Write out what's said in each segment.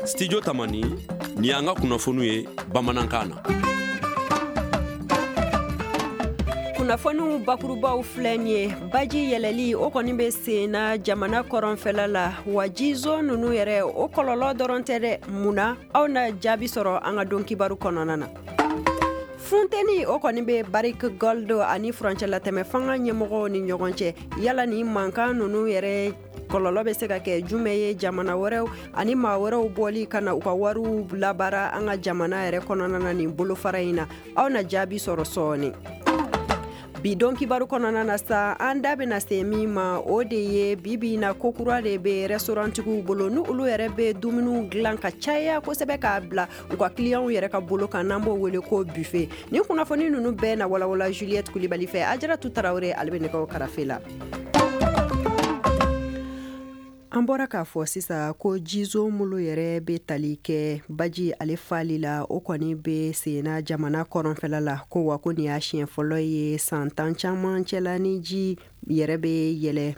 Studio Tamani, nin y'an ka kunnafoniw ye bamanankan na. Kunnafoniw bakurubaw filɛ nin ye. Baji yɛlɛli o kɔni bɛ sen na jamana kɔrɔnfɛla la, wa jizo ninnu yɛrɛ, o kɔlɔlɔ dɔrɔn tɛ dɛ. Mun na? Aw na jaabi sɔrɔ an ka don kibaru kɔnɔna na. Funteni o kɔni bɛ Barrick Gold ani furancɛlatɛmɛ fanga ɲɛmɔgɔw ni ɲɔgɔn cɛ. Yala ni mankan ninnu yɛrɛ kɔlɔlɔ bɛ se ka kɛ jumɛn ye jamana wɛrɛw ani maa wɛrɛw bɔli ka na u ka wariw labaara an ka jamana yɛrɛ kɔnɔna na nin bolofara in na? Aw na jaabi sɔrɔ sɔɔni. Bi don kibaru kɔnɔna na sa, an da bɛna se min ma, o de ye bi bi na ko kura de bɛ restaurantigiw bolo, ni olu yɛrɛ bɛ dumuniw dilan ka caya kosɛbɛ k'a bila u ka clients yɛrɛ ka bolo kan, n'an b'o wele ko buffet. Nin kunnafoni ninnu bɛɛ na walawala Juliette Kulibali fɛ. Ajaratu Tarawele, ale bɛ nɛgɛw karafe la. An bɔra k'a fɔ sisan ko jizo mulu yɛrɛ bɛ tali kɛ baji ale fali la, o kɔni bɛ senna jamana kɔrɔnfɛla la, ko wa ko nin y'a siɲɛ fɔlɔ ye san 10 caman cɛla ni ji yɛrɛ bɛ yɛlɛ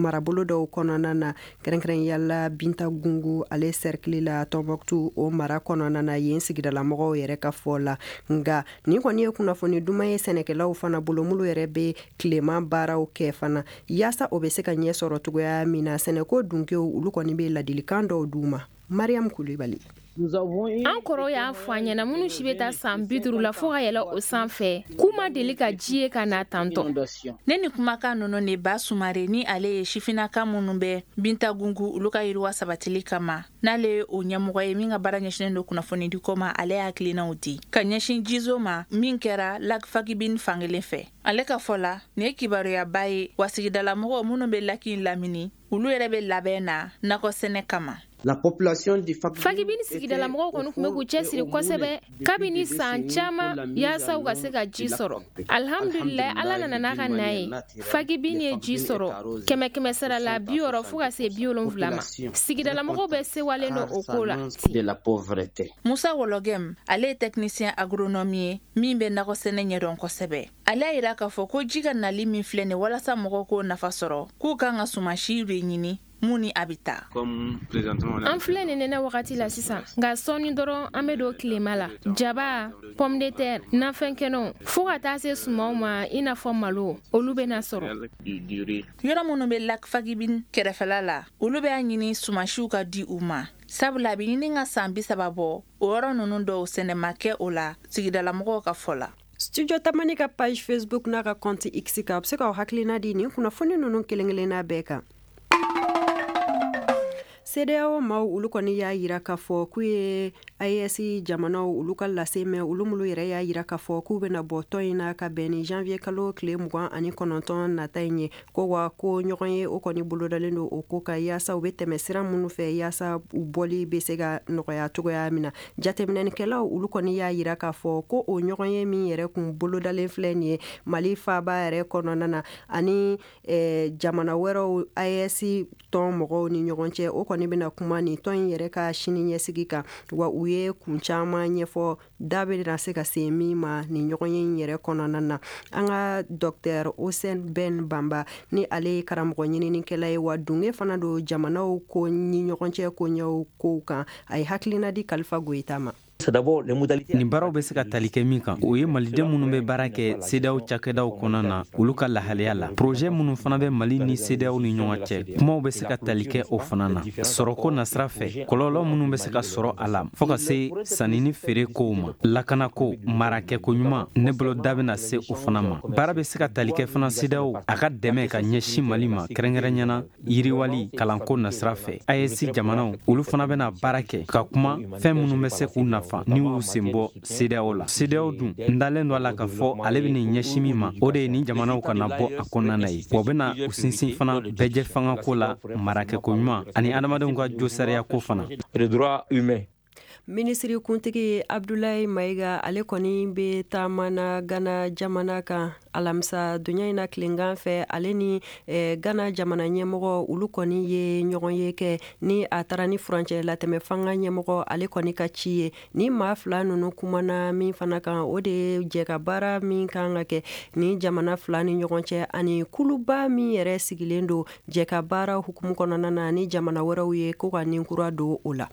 marabolo dɔw kɔnɔna na, kɛrɛnkɛrɛnya la Bintagungu ale cercle la, Tɔnbɔkutu o mara kɔnɔna na, yen sigidalamɔgɔw yɛrɛ ka fɔ la. Nka nin kɔni ye kunnafoni duman ye sɛnɛkɛlaw fana bolo, minnu yɛrɛ bɛ tilema baaraw kɛ fana, yaasa o bɛ se ka ɲɛ sɔrɔ cogoya min na. Sɛnɛko dunkew, olu kɔni bɛ ladilikan dɔw d'u ma. Mariam Kulibali. An kɔrɔ y'a fɔ an ɲɛna, minnu si bɛ taa san 50 la fo ka yɛlɛ o sanfɛ, k'u ma deli ka ji ye ka na tantɔ. Ne ni kumakan ninnu de Ba Sumare, ni ale ye sifinnaka minnu bɛ Bintagungu, olu ka yiriwa sabatili kama, n'ale ye o ɲɛmɔgɔ ye min ka baara ɲɛsinnen don kunnafonidiko ma, ale y'a hakilinaw di ka ɲɛsin jizo ma min kɛra lac Faguibine fankelen fɛ. Ale ka fɔ la, nin ye kibaruyaba ye, wa sigidalamɔgɔw minnu bɛ lac in lamini, olu yɛrɛ bɛ labɛn na nakɔ sɛnɛ kama. La population du Fagibini sigidalamɔgɔw kɔni tun bɛ k'u cɛsiri kosɛbɛ kabini san caman yaasa u ka se ka ji sɔrɔ. Alihamdulilayi, Ala nana n'a ka na ye, Fagibini ye ji sɔrɔ kɛmɛ kɛmɛ sara la 60 fo ka se 70 ma. Sigidalamɔgɔw bɛɛ sewalen don o ko la. Musa Wɔlɔgɛm, ale ye technicien agronome ye min bɛ nakɔ sɛnɛ ɲɛdɔn kosɛbɛ. Ale y'a yira k'a fɔ ko ji ka nali min filɛ nin, walasa mɔgɔw k'o nafa sɔrɔ, k'u kan ka sumasi de ɲini mun ni a bɛ taa. An filɛ nin nɛnɛ wagati la sisan, nka sɔɔni dɔrɔn an bɛ don tilema la. Jaba, pomme de terre, nafɛn kɛnɛw, fo ka taa se sumanw ma i n'a fɔ malo, olu bɛna sɔrɔ. Yɔrɔ minnu bɛ lac Faguibine kɛrɛfɛla la, olu bɛ a ɲini sumasiw ka di u ma, sabula a bɛ ɲini ka san 30 bɔ, o yɔrɔ ninnu dɔw sɛnɛ ma kɛ o la, sigidalamɔgɔw ka fɔ la. Studio Tamani ka page Facebook n'a ka compte X kan, a bɛ se k'aw hakilina di nin kunnafoni ninnu kelen kelenna bɛɛ kan. CEDEAO maaw, olu kɔni y'a yira k'a fɔ k'u ye AES jamanaw olu ka lase mɛn, olu minnu yɛrɛ y'a yira k'a fɔ k'u bɛna bɔ tɔn in na ka bɛn ni janvier kalo tile 29 nata in ye, ko wa ko ɲɔgɔn ye o kɔni bolodalen don o ko ka, yaasa u bɛ tɛmɛ sira minnu fɛ yaasa u bɔli bɛ se ka nɔgɔya cogoya min na. Jateminɛnikɛlaw, olu kɔni y'a yira k'a fɔ ko o ɲɔgɔn ye min yɛrɛ kun bolodalen filɛ nin ye Mali faaba yɛrɛ kɔnɔna na ani jamana wɛrɛw AES tɔn mɔgɔw ni ɲɔgɔn cɛ, o kɔni bɛna kuma nin tɔn in yɛrɛ ka sini ɲɛsigi kan. Wa u ye kun caman ɲɛfɔ, da bɛ se ka se min ma nin ɲɔgɔn ye in yɛrɛ kɔnɔna na. An ka docteur Osen Ben Banba, ni ale ye karamɔgɔ ɲininikɛla ye, wa dunge fana don jamanaw ko ni ɲɔgɔn cɛ ko ɲɛw kow kan, a ye hakilina di Kalifa Goyita ma. Nin baaraw bɛ se ka tali kɛ min kan, o ye maliden minnu bɛ baara kɛ CEDEAO cakɛdaw kɔnɔna na, olu ka lahalaya la. Projet minnu fana bɛ Mali ni CEDEAO ni ɲɔgɔn cɛ, kumaw bɛ se ka tali kɛ o fana na. Sɔrɔko nasira fɛ, kɔlɔlɔ minnu bɛ se ka sɔrɔ a la, fɔɔ ka se sanni ni feere kow ma, lakanako, marakɛko ɲuman, ne bolo da bɛna se o fana ma. Baara bɛ se ka tali kɛ fana CEDEAO a ka dɛmɛ ka ɲɛsin Mali ma, kɛrɛnkɛrɛnyana yiriwali kalanko nasira fɛ. AES jamanaw, olu fana bɛna baara kɛ ka kuma fɛn minnu bɛ se k'u nafa ni y'u sen bɔ CEDEAO la. CEDEAO dun, n dalen don a la k'a fɔ ale bɛ nin ɲɛsin min ma, o de ye nin jamanaw kana bɔ a kɔnɔna na ye, wa bɛna u sinsin fana bɛɛjɛ fangako la, marakɛko ɲuman ani adamadenw ka josariya ko fana. Minisiri kuntigi Abdoulaye Maïga, ale kɔni bɛ taama na Ghana jamana kan alamisa donya in na tilegan fɛ. Ale ni Ghana jamana ɲɛmɔgɔ, olu kɔni ye ɲɔgɔn ye kɛ ni a taara ni furancɛ latɛmɛ fanga ɲɛmɔgɔ, ale kɔni ka ci ye. Ni maa fila ninnu kumana min fana kan, o de ye jɛ ka baara min kan ka kɛ ni jamana fila ni ɲɔgɔn cɛ, ani kuluba min yɛrɛ sigilen don jɛ ka baara hukumu kɔnɔna na ni jamana wɛrɛw ye, ko ka nin kura don o la.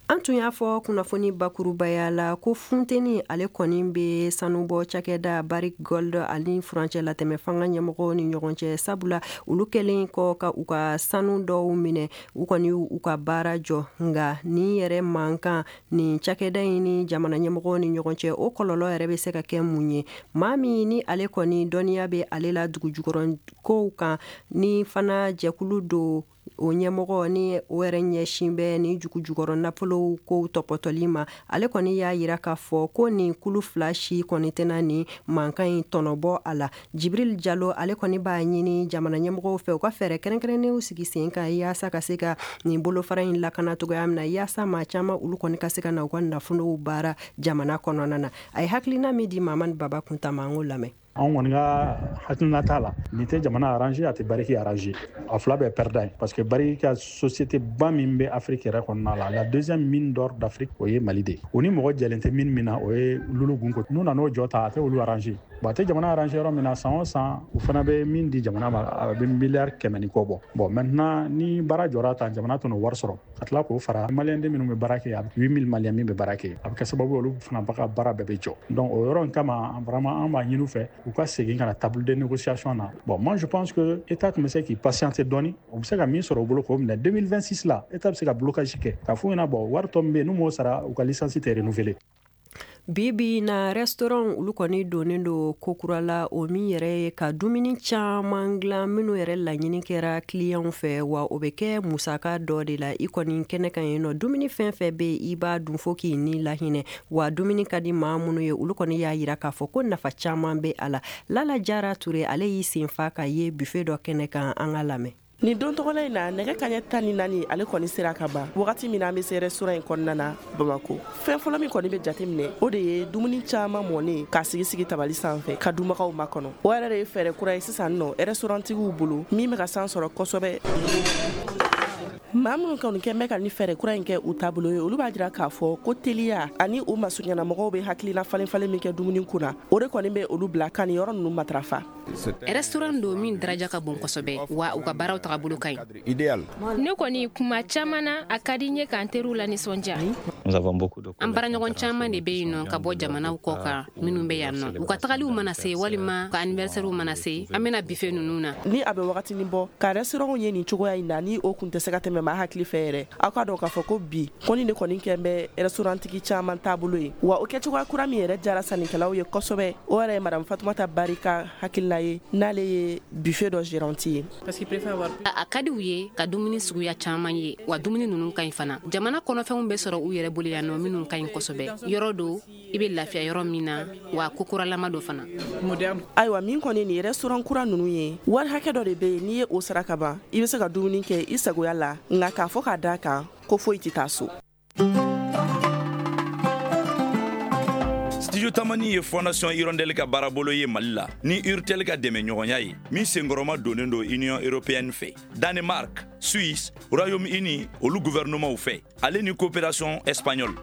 An tun y'a fɔ kunnafoni bakurubaya la ko funteni, ale kɔni bɛ sanubɔ cakɛda Barrick Gold ani furancɛ latɛmɛ fanga ɲɛmɔgɔw ni ɲɔgɔn cɛ, sabula olu kɛlen kɔ ka u ka sanu dɔw minɛ, u kɔni u ka baara jɔ. Nka nin yɛrɛ mankan nin cakɛda in ni jamana ɲɛmɔgɔw ni ɲɔgɔn cɛ, o kɔlɔlɔ yɛrɛ bɛ se ka kɛ mun ye? Maa min ni ale kɔni dɔnniya bɛ ale la dugujukɔrɔ kow kan, ni fana jɛkulu don o ɲɛmɔgɔ, ni o yɛrɛ ɲɛsin bɛ ni jugujukɔrɔ nafolow kow tɔpɔtɔli ma, ale kɔni y'a yira k'a fɔ ko nin kulu fila si kɔni tɛna nin mankan in tɔnɔbɔ a la. Jibril Jalo, ale kɔni b'a ɲini jamana ɲɛmɔgɔw fɛ u ka fɛɛrɛ kɛrɛnkɛrɛnnenw sigi sen kan yaasa ka se ka nin bolofara in lakana cogoya min na, yaasa maa caman olu kɔni ka se ka na u ka nafolow baara jamana kɔnɔna na. A ye hakilina min di Mamani Baba Kuntama, an k'o lamɛn. Anw kɔni ka hakilina t'a la, nin tɛ jamana arranger, a tɛ Barrick arranger, a fila bɛɛ perdant ye, parce que Barrick ka société ba min bɛ Afrique yɛrɛ kɔnɔna la, la deuxième mine d'or d'Afrique, o ye Mali de ye. O ni mɔgɔ jɛlen tɛ mine min na, o ye Loulo-Gounkoto. N'u nan'o jɔ ta, a tɛ olu arranger. Bon, a tɛ jamana arranger yɔrɔ min na, san o san u fana bɛ min di jamana ma, a bɛ miliyari 100 ni kɔ bɔ. Bon, maintenant ni baara jɔra tan, jamana tɛn'o wari sɔrɔ ka tila k'o fara maliyɛn den minnu bɛ baara kɛ, a bɛ 8000 maliyɛn min bɛ baara kɛ, a bɛ kɛ sababu ye olu fana ka baara bɛɛ bɛ jɔ. Donc o yɔrɔ in kama, vraiment an b'a ɲini u fɛ u ka segin ka na table de négociation na. Bon, moi je pense que état tun bɛ se k'i patienter dɔɔni, u bɛ se ka min sɔrɔ u bolo k'o minɛ. 2026 la, état bɛ se ka blocage kɛ k'a f'u ɲɛna, bon, wari tɔ min bɛ yen n'u m'o sara, u ka licence tɛ renouveler. Bi bi na, restaurant olu kɔni donnen don kokura la, o min yɛrɛ ye ka dumuni caman dilan minnu yɛrɛ laɲini kɛra clientw fɛ, wa o bɛ kɛ musaka dɔ de la. I kɔni kɛnɛ kan yen nɔ, dumuni fɛn fɛn bɛ, i b'a dun fo k'i ni lahinɛ. Wa dumuni ka di maa minnu ye, olu kɔni y'a yira k'a fɔ ko nafa caman bɛ a la. Lala Jara Ture, ale y'i sen fa ka ye buffet dɔ kɛnɛ kan. An ka lamɛn. Nin don tɔgɔla in na, nɛgɛ kaɲɛ 14, ale kɔni sera ka ban wagati min na, an bɛ se restaurant in kɔnɔna na Bamako. Fɛn fɔlɔ min kɔni bɛ jate minɛ, o de ye dumuni caman mɔnen k'a sigi sigi tabali sanfɛ ka dunbagaw makɔnɔ. O yɛrɛ de ye fɛɛrɛ kura ye sisan nɔ restaurant tigiw bolo min bɛ ka san sɔrɔ kosɛbɛ. Maa minnu kɔni kɛn bɛ ka ni fɛɛrɛ kura in kɛ u taabolo ye, olu b'a jira k'a fɔ ko teliya ani u masuɲɛnamɔgɔw bɛ hakilina falen falen min kɛ dumuni kunna, o de kɔni bɛ olu bila ka nin yɔrɔ ninnu matarafa. Restaurant don min daraja ka bon kosɛbɛ, wa u ka baaraw tagabolo ka ɲi. Ne kɔni, kuma caman na, a ka di n ye k'an teriw la nisɔndiya. An baaraɲɔgɔn caman de bɛ yen nɔ ka bɔ jamanaw kɔ kan minnu bɛ yan nɔ. U ka tagaliw mana se walima ka anniversaire mana se, an bɛna buffet ninnu na. Ni a bɛ wagatinin bɔ ka restaurant ye nin cogoya in na, ni o kun tɛ se ka tɛmɛ maa hakili fɛ yɛrɛ, aw ka dɔn k'a fɔ ko bi kɔni de kɔni kɛn bɛ restaurant tigi caman taabolo ye. Wa o kɛcogoya kura min yɛrɛ jara sannikɛlaw ye kosɛbɛ, o yɛrɛ ye madame Fatumata Bari ka hakilina ye, n'ale ye buffet dɔ gérante ye. A ka di u ye ka dumuni suguya caman ye, wa dumuni ninnu ka ɲi fana. Jamana kɔnɔfɛnw bɛ sɔrɔ u yɛrɛ bolo yan nɔ minnu ka ɲi kosɛbɛ. Yɔrɔ don i bɛ lafiya yɔrɔ min na, wa kokuralama don fana. Ayiwa, min kɔni nin restaurant kura ninnu ye, wari hakɛ dɔ de bɛ yen, n'i ye o sara ka ban, i bɛ se ka dumuni kɛ i sagoya la, nka k'a fɔ k'a d'a kan ko foyi tɛ taa so. Studio Tamani ye Fondation Hirondelle ka baarabolo ye Mali la ni Urtel ka dɛmɛ ɲɔgɔnya ye, min senkɔrɔma donnen don Union européenne fɛ, Danemark, Suisse, Royaume-Uni olu gouvernement fɛ, ale ni coopération espagnole.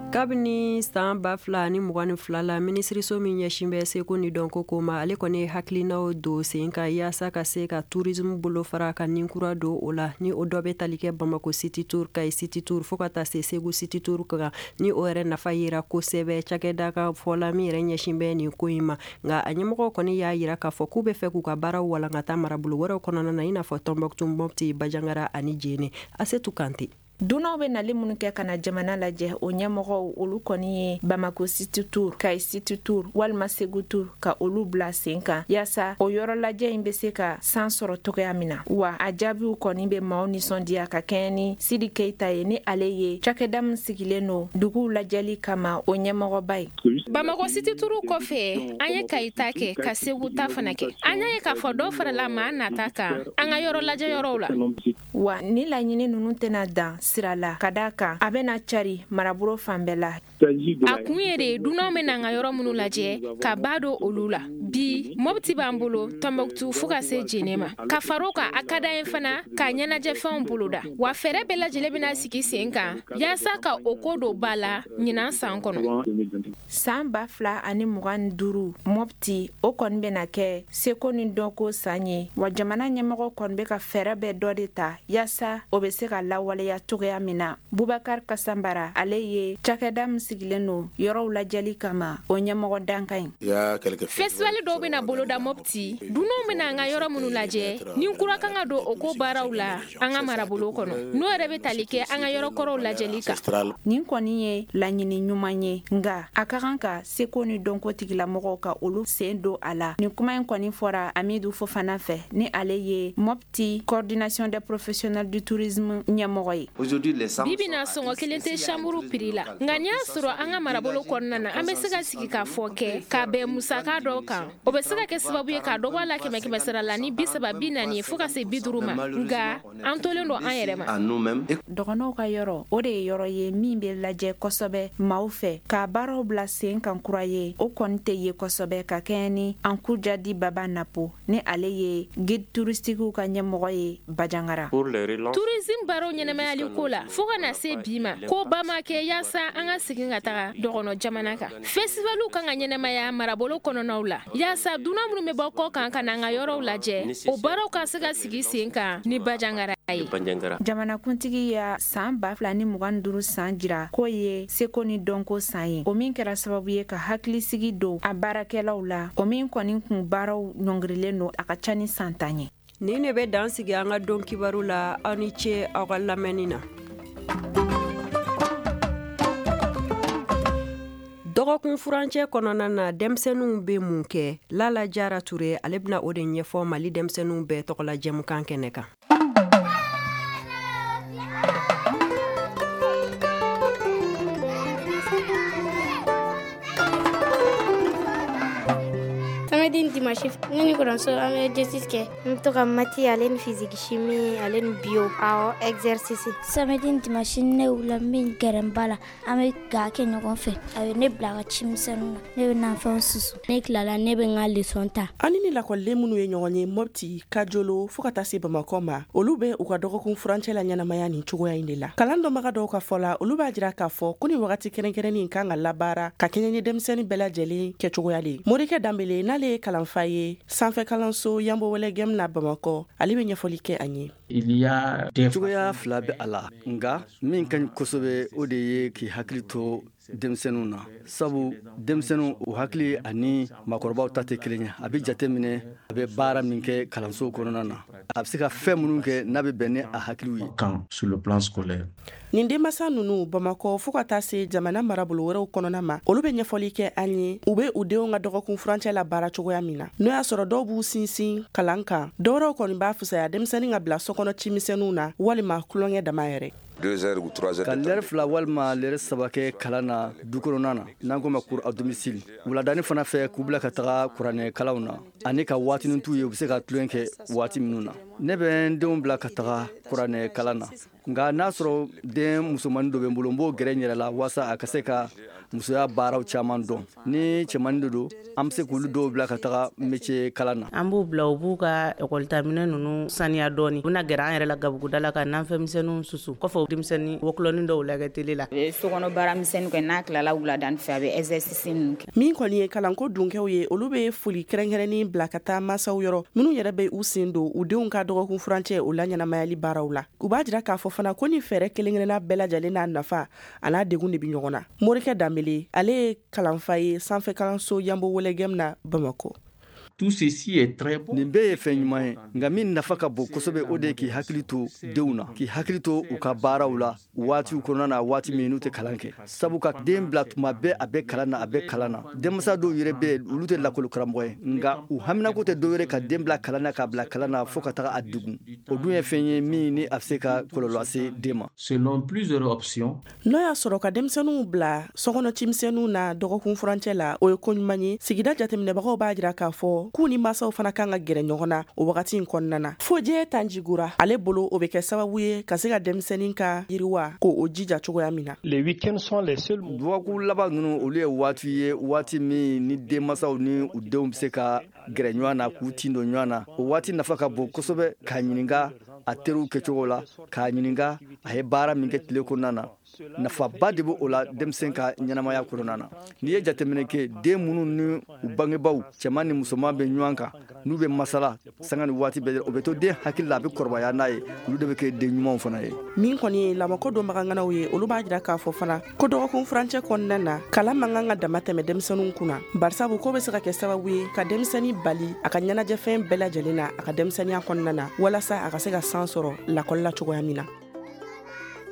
Kabini san 2022 la, minisiriso min ɲɛsin bɛ seko ni dɔnko ko ma, ale kɔni ye hakilinaw don sen kan yaasa ka se ka tourisme bolo fara ka nin kura don o la, ni o dɔ bɛ tali kɛ Bamako City Tour, Kayi City Tour, fo ka taa se Segu City Tour kan, ni o yɛrɛ nafa yera kosɛbɛ cakɛda ka fɔla min yɛrɛ ɲɛsin bɛ nin ko in ma. Nka a ɲɛmɔgɔ kɔni y'a yira k'a fɔ k'u bɛ fɛ k'u ka baaraw walankata marabolo wɛrɛw kɔnɔna na, i n'a fɔ Tɔnbɔkutu, Mɔpti, Banjagara ani Jene. Asetu Kante. Dunanw bɛ nali minnu kɛ ka na jamana lajɛ, o ɲɛmɔgɔw olu kɔni ye Bamako City Tour, Kayi City Tour walima Segu Tour ka olu bila sen kan yaasa o yɔrɔ lajɛ in bɛ se ka san sɔrɔ togoya min na. Wa a jaabiw kɔni bɛ maaw nisɔndiya ka kɛɲɛ ni Sidi Keyita ye, ni ale ye cakɛda min sigilen don duguw lajɛli kama, o ɲɛmɔgɔba ye. Bamako City Tour kɔfɛ, an ye Kayi ta kɛ, ka Segu ta fana kɛ. An y'a ye k'a fɔ dɔ farala maa nata kan an ka yɔrɔ lajɛ yɔrɔw la. Wa ni laɲini ninnu tɛna dan. sira la, ka da kan a bɛna cari marabolo fan bɛɛ la. A kun ye de dunanw bɛna an ka yɔrɔ minnu lajɛ ka ba don olu la. Bi Mopti b'an bolo, Tɔnbɔkutu fo ka se Jene ma. Ka far'o kan, a ka d'an ye fana ka ɲɛnajɛfɛnw boloda. Wa fɛɛrɛ bɛɛ lajɛlen bɛna sigi sen kan yaasa ka o ko don ba la ɲinan san kɔnɔ. San 2025 Mopti, o kɔni bɛna kɛ seko ni dɔnko san ye, wa jamana ɲɛmɔgɔ kɔni bɛ ka fɛɛrɛ bɛɛ dɔ de ta yaasa o bɛ se ka lawaleya cogoya min na. Bubakar Kasanbara, ale ye cakɛda min sigilen don yɔrɔw lajɛli kama, o ɲɛmɔgɔ dankan ye. Festival dɔw bɛna boloda Mopti, dunanw bɛna an ka yɔrɔ minnu lajɛ, ni kura kan ka don o ko baaraw la an ka marabolo kɔnɔ, n'o yɛrɛ bɛ tali kɛ an ka yɔrɔ kɔrɔw lajɛli kan. Nin kɔni ye laɲini ɲuman ye, nka a ka kan ka seko ni dɔnko tigilamɔgɔw ka olu sen don a la. Nin kuma in kɔni fɔra Amidu Fofana fɛ, ni ale ye Mopti coordination des professionnels du tourisme ɲɛmɔgɔ ye. Bi bi na sɔngɔ kelen tɛ chambre prix la, nka n'i y'a sɔrɔ an ka marabolo kɔnɔna na, an bɛ se ka sigi k'a fɔ kɛ ka bɛn musaka dɔw kan, o bɛ se ka kɛ sababu ye ka dɔ bɔ a la 100 sara la ni 30, 40 fo ka se 50 ma, nka an tolen don an yɛrɛ ma. Dɔgɔnɔw ka yɔrɔ, o de ye yɔrɔ ye min bɛ lajɛ kosɛbɛ maaw fɛ, ka baaraw bila sen kan kura ye, o kɔni tɛ ye kosɛbɛ ka kɛɲɛ ni Ankujadi Baba Napo, ni ale ye guide touristiquew ka ɲɛmɔgɔ ye Bajangara. Tourisme baaraw ɲɛnɛmayali ko la, fo ka na se bi ma, ko ba ma kɛ yaasa an ka segin ka taga dɔgɔnɔ jamana kan. Festivaliw kan ka ɲɛnɛmaya marabolo kɔnɔnaw la, yaasa dunan minnu bɛ bɔ kɔ kan ka na an ka yɔrɔw lajɛ, o baaraw ka se ka sigi sen kan ni Bajangara ye. Jamanakuntigi ya san 2025 san jira k'o ye seko ni dɔnko san ye, o min kɛra sababu ye ka hakilisigi don a baarakɛlaw la, o min kɔni kun baaraw ɲɔngirilen don a ka ca ni san 10 ye. Nin de bɛ dan sigi an ka don kibaru la. Aw ni ce aw ka lamɛnni na. Dɔgɔkun furancɛ kɔnɔna na, denmisɛnninw bɛ mun kɛ? Lala Jara Ture, ale bɛna o de ɲɛfɔ Mali denmisɛnninw bɛɛ tɔgɔla jɛmukan kɛnɛ kan. Samedi ni dimanche, ne ni kɔrɔmuso an bɛ exercice kɛ. N bɛ to ka maths ale ni physique chimie ale ni bio, awɔ, exercice. Samedi ni dimanche, ne wulila, n bɛ gɛrɛ n ba la, an bɛ ga kɛ ɲɔgɔn fɛ. A bɛ ne bila ka cimisɛnninw na, ne bɛ nafɛnw susu. Ne tilala, ne bɛ n ka leçon ta. Ani ni lakɔliden minnu ye ɲɔgɔn ye Mopti, Kajolo fo ka taa se Bamakɔ ma, olu bɛ u ka dɔgɔkun furancɛ la ɲɛnamaya nin cogoya in de la. Kalan dɔnbaga dɔw ka fɔ la, olu b'a jira k'a fɔ ko nin wagati kɛrɛnkɛrɛnnin kan ka labaara ka kɛɲɛ ni denmisɛnnin bɛɛ lajɛlen kɛcogoya de ye. Morikɛ Danbele, n'ale ye kalanfa ye sanfɛ kalanso Yanbo Wɛlɛgɛm na Bamakɔ, ale bɛ ɲɛfɔli kɛ an ye. Cogoya fila bɛ a la, nka min ka ɲi kosɛbɛ, o de ye k'i hakili to denmisɛnninw na, sabu denmisɛnninw u hakili ani maakɔrɔbaw ta tɛ kelen ye. A bɛ jate minɛ a bɛ baara min kɛ kalanso kɔnɔna na, a bɛ se ka fɛn minnu kɛ n'a bɛ bɛn ni a hakiliw ye. Nin denmansa ninnu Bamakɔ fo ka taa se jamana marabolo wɛrɛw kɔnɔna ma, olu bɛ ɲɛfɔli kɛ an ye u bɛ u denw ka dɔgɔkun furancɛ la baara cogoya min na. N'o y'a sɔrɔ dɔw b'u sinsin kalan kan, dɔwɛrɛw kɔni b'a fisaya denmisɛnnin ka bila sokɔnɔ cimisɛnninw na walima tulonkɛ dama yɛrɛ. Ka lɛrɛ 2 walima lɛrɛ 3 kɛ kalan na du kɔnɔna na, n'an ko ma cours à domicile. Wuladani fana fɛ, k'u bila ka taga kuranɛ kalanw na, ani ka waatinin t'u ye u bɛ se ka tulon kɛ waati minnu na. Ne bɛ n denw bila ka taga kuranɛ kalan na, nka n'a sɔrɔ den musomannin dɔ bɛ n bolo, n b'o gɛrɛ n yɛrɛ la walasa a ka se ka musoya baaraw caman dɔn. Ni cɛmannin de don, an bɛ se k'olu dɔw bila ka taga métier kalan na. An b'u bila, u b'u ka ekɔlitaminɛ ninnu saniya dɔɔni, u bɛna gɛrɛ an yɛrɛ la gabuguda la ka nanfɛnmisɛnninw susu, kɔfɛ denmisɛnnin wɔkulɔnin dɔw lajɛ télé la. A bɛ sokɔnɔ baaramisɛnnin kɛ, n'a tilala wuladani fɛ a bɛ exercice ninnu kɛ. Min kɔni ye kalanko dunkɛw ye, olu bɛ foli kɛrɛnkɛrɛnnen bila ka taa mansaw yɔrɔ minnu yɛrɛ bɛ u sen don u denw ka dɔgɔkun furancɛ o la ɲɛnamayali baaraw la. U b'a jira k'a fɔ fana ko ni fɛɛrɛ kelen-kelenna bɛɛ lajɛlen n'a nafa a n'a degun de bɛ ɲɔgɔn na. Morikɛ Danbele, ale ye kalanfa ye sanfɛ kalanso Yanbo Wɛlɛgɛm na Bamakɔ. Tout ceci est très bon. Nin bɛɛ ye fɛn ɲuman ye, nka min nafa ka bon kosɛbɛ, o de ye k'i hakili to denw na, k'i hakili to u ka baaraw la waatiw kɔnɔna na, waati min n'u tɛ kalan kɛ. Sabu ka den bila tuma bɛɛ a bɛ kalan na, a bɛ kalan na. Denmansa dɔw yɛrɛ bɛ yen, olu tɛ lakɔli karamɔgɔ ye, nka u haminako tɛ dɔw yɛrɛ ka den bila kalan na, k'a bila kalan na fo ka taga a degun. O dun ye fɛn ye min ni a bɛ se ka kɔlɔlɔ lase den ma. Selon plusieurs options. N'o y'a sɔrɔ ka denmisɛnninw bila sokɔnɔ cimisɛnninw na dɔgɔkun furancɛ la, o ye ko ɲuman ye. Sigida jateminɛbagaw b'a jira k'a fɔ fɔ k'u ni mansaw fana kan ka gɛrɛ ɲɔgɔn na o wagati in kɔnɔna na. Fojɛ Tanjigora ale bolo, o bɛ kɛ sababu ye ka se ka denmisɛnnin ka yiriwa ko o jija cogoya min na. Les week-ends sont les seuls. Dɔgɔkun laban ninnu, olu ye waati ye, waati min ni denmansaw ni u denw bɛ se ka gɛrɛ ɲɔgɔn na, k'u tin don ɲɔgɔn na. O waati nafa ka bon kosɛbɛ, k'a ɲininka a teriw kɛcogo la, k'a ɲininka a ye baara min kɛ tile kɔnɔna na. Nafaba de bɛ o la denmisɛn ka ɲɛnamaya kɔnɔna na. N'i ye jateminɛ kɛ, den minnu ni u bangebaaw cɛman ni musoman bɛ ɲɔgɔn kan, n'u bɛ masala sanga ni waati bɛɛ, o bɛ to den hakili la, a bɛ kɔrɔbaya n'a ye. Olu de bɛ kɛ den ɲumanw fana ye. Min kɔni ye lamɔko dɔnbaganganaw ye, olu b'a jira k'a fɔ fana ko dɔgɔkun furancɛ kɔnɔna na, kalan man kan ka dama tɛmɛ denmisɛnninw kunna, barisabu ko bɛ se ka kɛ sababu ye ka denmisɛnnin bali a ka ɲɛnajɛfɛn bɛɛ lajɛlen na a ka denmisɛnninya kɔnɔna na, walasa a ka se ka san sɔrɔ lakɔli la cogoya min na.